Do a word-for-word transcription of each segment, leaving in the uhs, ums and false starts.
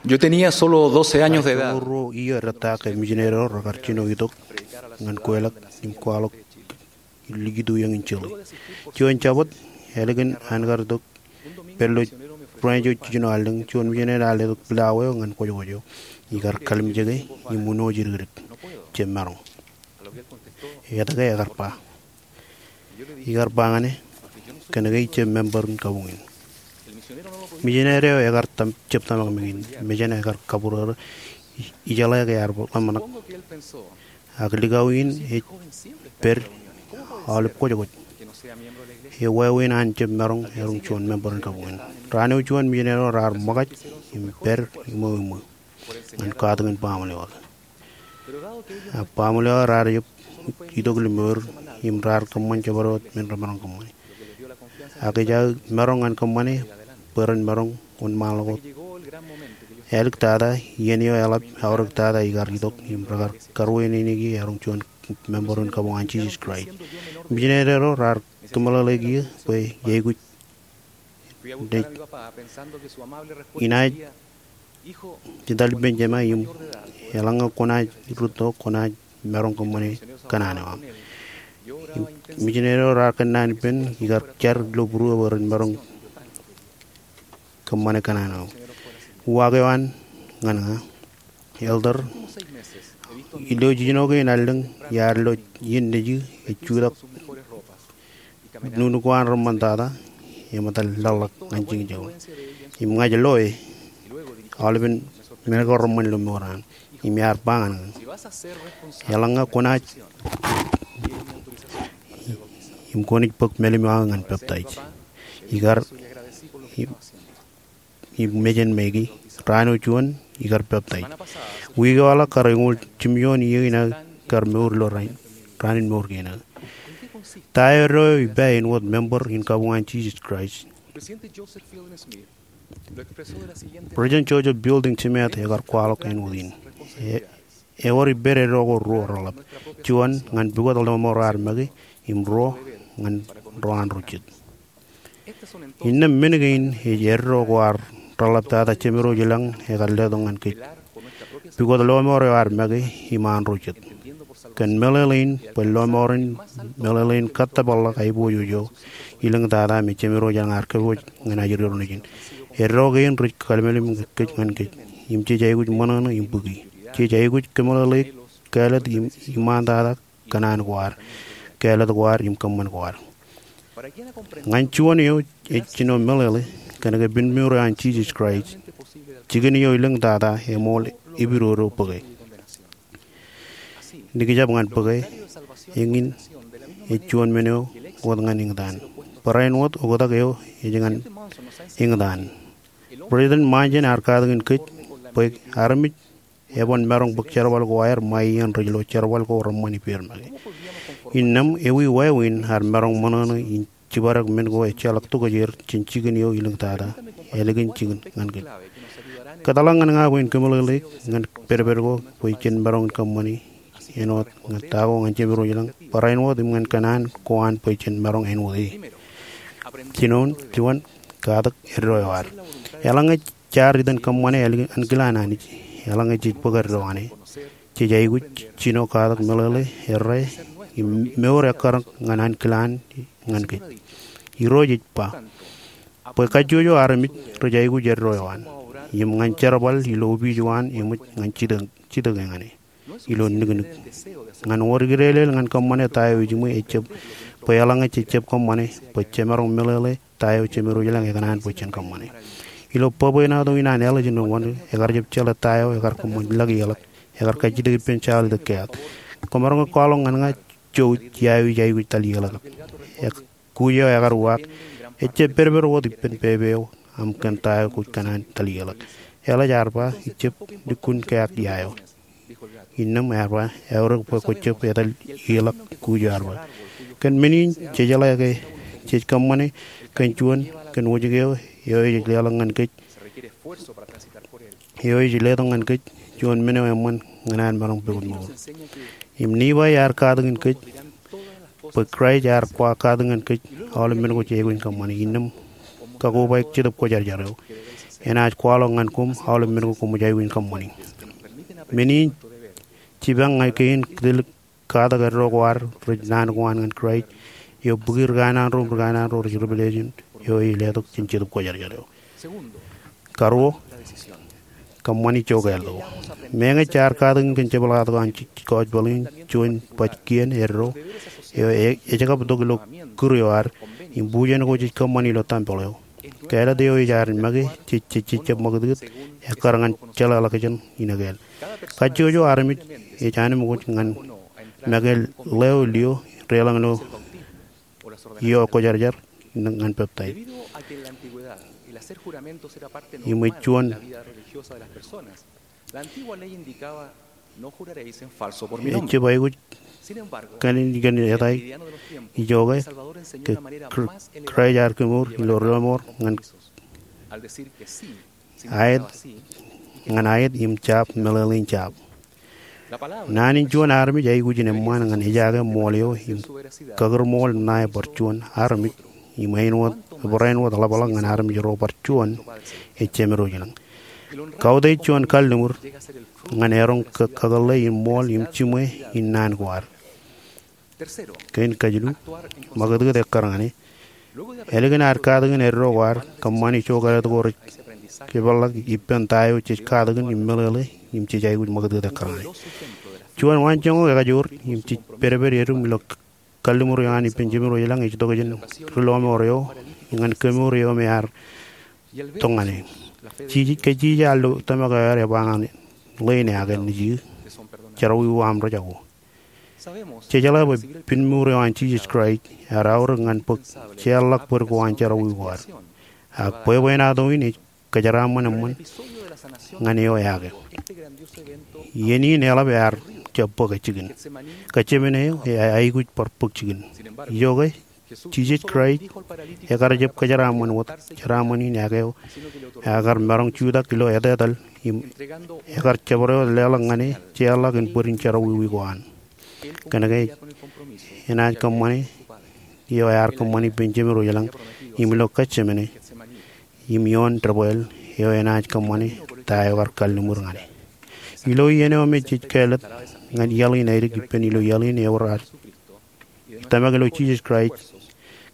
Yo tenía solo doce años de edad. Ruo iiō rōtaak ke mijineri ro rekar jino itok ñan kweilọk im kwaḷọk likūt eo eñin jeḷā. Juon Jabōt, ālikin an kar itok pād ilo branch eo jijino allōñ, juon mijineri ear letok pilawā eo ñan kwōjkwōj eo. Ikar kalimjeke im uno jidikdik. Jemaroñ. Etke ekar ba? Ikar ba ñan e, kōnke ij jab member in kabuñ in. Mijineri eo ekar jab tōmak meñin, mejān ekar kabūrōrō, ijeḷā ke ear ḷōmṇak. Ak likao in ej pād aolep kwōjkwōj. Ewāween an jab maroñ erom juon member in kabuñ in. Raan eo juon mijineri ro raar ṃōkaj im pād iṃweo iṃweo ñan katakin baaṃle eo aō. Ak baaṃle eo aō raar jab itok ilo mour im raar kōṃṃan jabdewōt men remaroñ kōṃṃane. Ak ej aō maroñ ñan kōṃṃane bwe ren maroñ wōnṃaanḷọk wōt. Āliktata, iien eo eḷap aorōktata ikar itok im rekar karuwaineneiki erom juon member in kabuñ an Jisōs Kraist. Mijineri ro raar kōmeḷeḷeik ie bwe iaikuj rej inaaj etal ippān jema im eḷaññe kwōnaaj rūtto kwōnaaj maroñ kōṃṃane kōṇaan eo aṃ. Im mijineri ro raar kōnnaan ippān ikar jar ilo būruō bwe ren maroñ kōṃṃane kōṇaan eo aṃ. Uwaak eo an ñan ña, Elder, ilo jijino kein allōñ iar lo iien nejū ej jutak nuknuk ko an reṃṃantata, eṃōttan laḷḷọk ñan jikin jabdewōt. Im ña ij lo e, aolepen men ko reṃṃan ilo mour eo an. Im iar ba ñan ña, eḷaññe kwōnaaj, im kwōnaaj bōk mālim eo aō ñan peptaij. Ikar, im im mejān Meki, raan eo juon ikar peptaij. Wiik eo eḷak kar eñoul jimjuon iiō in aō kar mour ilo raan, raan in mour kein aō. Ta eo eddo eo ippa āinwōt member in kabuñ an Jisōs Kraist? President Joseph Fielding Smith ekar kwaḷọk āinwōt in. E, ewōr ippād eddo ko ruo reḷap. Juon, ñan pukot lọmọọr eo ar make, im ruo, ñan ro an ro jet. Innām men kein ej eddo ko ad reḷaptata jemedwōj ilañ ekar letok ñan kōj. Pukot lọmọọr eo ad make im an ro jet. Kōn meḷeḷein bwe lọmọọr in meḷeḷein kōttōpar ḷọk aiboojoj eo ilōñtata me jemedwōj ilañ ear kōpooj ñan ajri ro nejin. Eddo kein rej kallimlim kōj ñan kōj. Im jej aikuj ṃōṇōṇō im bōki. Jej aikuj kōmeḷeḷeik kāālōt im iṃaantata kōṇaan ko ad, kāālōt ko ad im kōṃṃan ko ad. Ñan juon eo ej jino meḷeḷe kōnke pen mour eo an Jisōs Kraist, jikin eo ilōñtata eṃool epidodo bōke. Nikijab ñan bōke, eñin ej juon men eo wōt ñan eñtaan. Barāinwōt wōt oktak eo ej ñan eñtaan. President Monson ear katakin kōj bwe armej eban maroñ bōk jerbal ko aer ṃae iien rej lo jerbal ko reṃṃan ippāer make. Innām ewi wāween ad maroñ ṃōṇōṇō in jibadek men ko ejjeḷọk tokjāer jān jikin eo ilōñtata ālikin jikin ñan kōj? Kōtḷọk ñan ña bwe in kōmeḷeḷeik ñan pedped ko bwe jen maroñ in kōṃṃane āinwōt ñan ta ko ñan jemedwōj ilañ barāinwōt im ñan kōṇaan ko an bwe jen maroñ āinwōt e. Jinoin, juon, katak eddo eo ad. Eḷaññe jaar itōn kōṃṃane ālikin ankilaan Anij, eḷaññe jej bōk eddo an e, jej aikuj jino katak meḷeḷe, errā, im mour ekkar ñan ankilaan ñan kōj. Irooj ej ba, bwe kajjojo armej rej aikuj eddo eo an, im ñan jerbal ilo opiij eo an eṃōj ñan jitōk, jitōke ñan e ilo niknik. Ñan wōr ikdeeḷeḷ ñan kōṃṃane ta eo ejiṃwe ejjab bwe eḷaññe jejjab kōṃṃane bwe jemaroñ meḷeḷe ta eo jemedwōj ilañ ekōṇaan bwe jen kōṃṃane. Ilo bwebwenato in an ālijin eo wōn, ekar jab jeḷā ta eo ekar kōṃṃan ḷọk ie ḷọk, ekar kajjitōk ippān jaḷ itok keat. Kwōmaroñ ke kwaḷọk ñan ña jouj ia eo ij aikuj etal ie ḷọk. Kuj eo ekar uwaak, ejjab pedped wōt ippān pepe eo aṃ kōn ta eo kwōj kōṇaan etal ie ḷọk. Eḷap ear ba, ijjab lukkuun keat ia eo. Innām ear ba, eaorōk bwe kwōjjab etal ie ḷọk. Kuj eo ear ba, kōn men in, jejeḷā ke jej kōṃṃane kōn juon, kōn wōjke eo, eo ej leḷọk ñan kōj, eo ej letok ñan kōj juon men eo eṃṃan ñan an maroñ pukot mour. Im Nifai ear katakin kōj bwe Kraist ear kwaḷọk katakin kōj aolep men ko jej aikuj in kōṃṃane. Innām kakobaik Jetōb Kwōjarjar eo. enaaj kwaḷọk ñan koṃ aolep men ko koṃij aikuj in kōṃṃani. Men in jipañ ñan kein kōtōlik katak eddo ko ad rej naan ko an ñan Kraist eo bōki ri kanaan ro im ri kanaan ro rej revelation eo ej letok jān Jetōb Kwōjarjar eo. Karuo, kōṃṃani ijo kāālōt ko. Meñe jaar katakin kōn jepḷaaktok an Gospel in juon baj kien eddo eo ej kab tok ilo kūr eo ad im bujen ko jej kōṃṃani ilo tempeḷ eo, kāālōt eo ej ad make jej jejjab ṃakūtkūt ekkar ñan jeḷāḷọkjeṇ in ekāāl. Kajjojo armej ej anmokjoj ñan make ḷeo lio deḷọñ ilo ioon kwōjarjar ñan peptaij. Im ej juon ejjab aikuj kōn in kōn etal ijoke ke Kraist ear kemour ilo ri-lọmọọr ñan aet ñan aet im jab meḷeḷein jab. Naan in juon armej aikuj in eṃṃaan ñan ejaake ṃool eo im kakūrṃool ṇae bar juon armej im āinwōt barāinwōt ḷapḷọk ñan armej ro bar juon ej jemedwōj ilañ. Kautiej juon kalliṃur ñan eroñ kakōḷḷe in ṃool im jiṃwe in naan ko ad. Kein kajilu, ṃakūtkūt ekkar ñan e. Ālikin ad katakin eddo ko ad, kōṃṃani ijo kāālōt ko rej jepḷaak ippān ta eo jej katakin im meḷeḷe im jej aikuj ṃakūtkūt ekkar ñan e. Juon waanjoñak ekajoor im jej pedped edūm ilo kalliṃur eo an ippān jemedwōj ilañ ej tok jān ri-lọmọọr eo ñan kemour eo me ear tok ñan e. Jej, ke jej al ilo tōmak eo ad, ej ba ñan e, ḷein e aō nejū, jerọwiwi aṃ rej jako. Jejeḷā bwe pinmour eo an Jisōs Kraist ear aorōk ñan bōk jeorḷọk bōd ko an jerọwiwi ko ad. Ak bwebwenato in ej kōjeraaṃṃan eṃṃan ñan eo eaake. Iien in eḷap ear jab bōk jikin. Getsemane eo ej aikuj bar bōk jikin. Ijoke, Jisōs Kraist ekar jab kōjeraaṃṃan wōt, jeraaṃṃan in eaake eo ekar maroñ jutak ilo etetal im ekar jabdewōt leḷọk ñan e jeorḷọk in bōd in jerọwiwi ko an. Kōnke enaaj kōṃṃane eo ear kōṃṃan ippān jemedwōj ilañ im ilo Getsemane im ioon debwāāl eo enaaj kōṃṃane ta eo ekar kalliṃur ñan e. Ilo iien eo me jej kāālōt ñan iaḷ in aidik ippān ilo iaḷ in ewōr ad tōmak ilo Jisōs Kraist,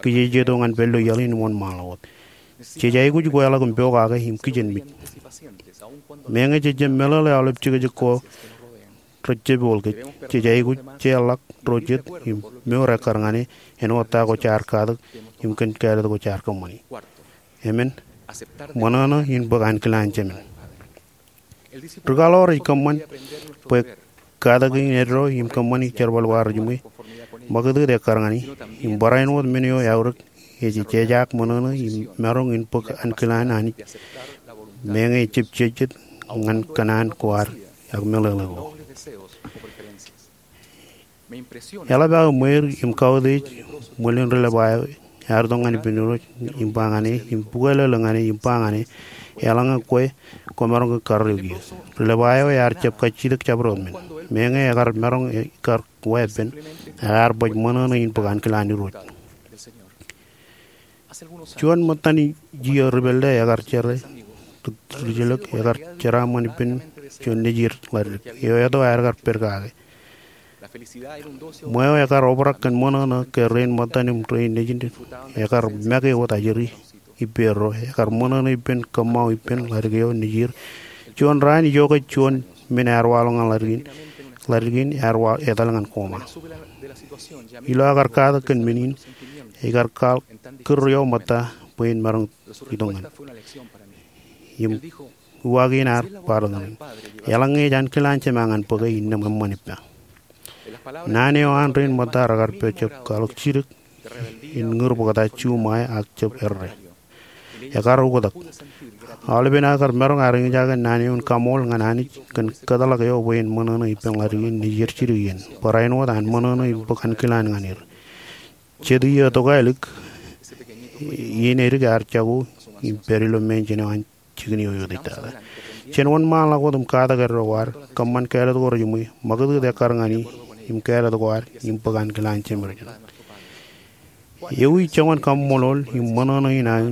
kijejeto ñan pād ilo iaḷ in wōnṃaanḷọk wōt. Jej aikuj kweḷọk im pokake im kijenmej. Meñe jej jab meḷeḷe aolep jekjek ko rej jab ioḷ kōj, jej aikuj jeorḷọk ro jet im mour ekkar ñan e āinwōt ta ko jaar katak im kōn kāālōt ko jaar kōṃṃani. Emān, ṃōṇōṇō in bōk ankilaan jemān. Ri-kaḷoor ej kōṃṃan bwe katakin eddo im kōṃṃani jerbal ko ad rejiṃwe, ṃakūtkūt ekkar ñan e, im barāinwōt men eo eaorōk ej jejaak ṃōṇōṇō im maroñ in bōk ankilaan Anij meñe ejjab jejjet ñan kōṇaan ko ad ak meḷeḷe ko. Eḷap aō ṃweir im kautiej ṃwilin ri-Levai eo ear itok ñan ippān Irooj im ba ñan e, im bukwelōlō ñan e im ba ñan e, eḷaññe kwe kwōmaroñ ke karreoik eō. Ri-Levai eo ear jab kajjitōk jabdewōt men. Meñe ekar maroñ ikar weeppān, ear baj ṃōṇōṇō in bōk ankilaan Irooj. Juon ṃōttan iiō ri-pālle ekar jere ri-jilōk ekar jeraaṃṃan ippān juon nejier ḷaddik eo eto aer kar pād kake. Ṃweo ekar obrak kōn ṃōṇōṇō ke rein ṃōttan im rein nejin ekar make wōt ajri ippārro, ekar ṃōṇōṇō ippān kōṃṃao ippān ḷaddik eo nejier. Juon raan ijoke juon men ear waḷọk ñan ḷaddik in, ḷaddik in ear wa etal ñan koṃa. Ilo aō kar katak kōn men in, ekar kwaḷọk kūr eo ṃōtta bwe en maroñ itok ñan. Im uwaak in ear bar itok ñan. Eḷaññe ej ankilaan Jema ñan bōke, innām eṃṃan ippa. Naan eo an rein ṃōtta rekar pād jab kwaḷọk jidik in ñūr bōkta juṃae ak jab errā. Ekar oktak. Aolepen aō kar maroñ ar eñjake naan eo in kaṃool ñan Anij kōn kōtḷọk eo bwe en ṃōṇōṇō ippān ḷaddik in nejier jidik iien. Barāinwōt an ṃōṇōṇō in bōk ankilaan ñan er. Jet iiō tokālik, iien edik ear jako im pād ilo mansion eo an jikin eo eutiej tata. Jen wōnṃaanḷọk wōt im katak eddo ko ad, kōṃṃan kāālōt ko rejiṃwe, ṃakūtkūt ekkar ñan e im kāālōt ko ad, im bōk ankilaan Jemedwōj. Ewi joñan kaṃṃoolol im ṃōṇōṇō in aō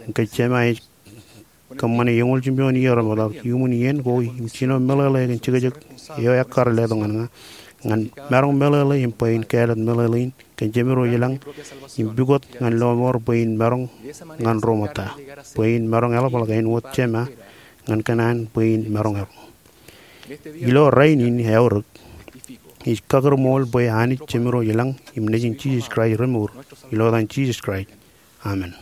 in ke Jema ej Kōṃṃane eñoul jimjuon iiō remootḷọk iuṃwin iien ko im jino meḷeḷe kōn jekjek eo ekkar letok ñan ña, ñan maroñ meḷeḷe im bwe in kāālōt meḷeḷe in kōn Jemdoijeḷañ im pukot ñan lọmọọr bwe in maroñ ñan ro ṃōtta, bwe in maroñ eḷapḷọk āinwōt Jema ñan kōṇaan bwe in maroñ eḷap. Ilo rainin eaorōk, ij kakūrṃool bwe Anij Jemdoijeḷañ im Nejin Jisōs Kraist remour, ilo etan Jisōs Kraist, amen.